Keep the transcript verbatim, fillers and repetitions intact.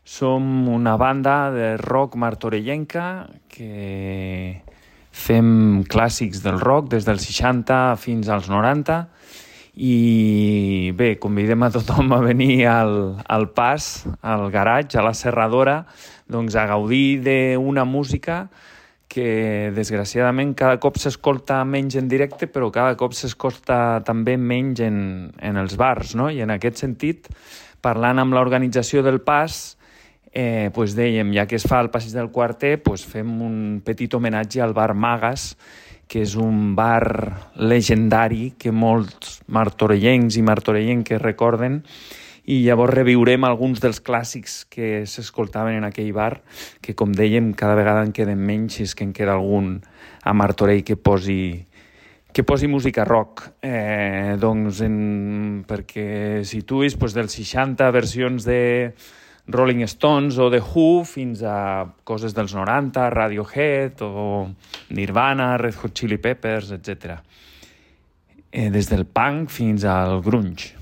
Som una banda de rock martorellenca que fem clàssics del rock des dels seixanta fins als noranta i bé, convidem a tothom a venir al, al Pas, al garatge, a la serradora, doncs a gaudir d'una música que desgraciadament cada cop s'escolta menys en directe, però cada cop s'escolta també menys en, en els bars, no? I en aquest sentit, parlant amb l'organització del Pas, eh, pues dèiem, ja que es fa el Passeig del Quarter, pues fem un petit homenatge al bar Magas, que és un bar legendari que molts martorellencs i martorellenques recorden, i llavors reviurem alguns dels clàssics que s'escoltaven en aquell bar, que com dèiem cada vegada en queden menys, si és que en queda algun a Martorell que posi, que posi música rock. Eh, doncs en, perquè situïs pues, dels seixanta versions de Rolling Stones o The Who fins a coses dels noranta, Radiohead o Nirvana, Red Hot Chili Peppers, etcètera. Eh, des del punk fins al grunge.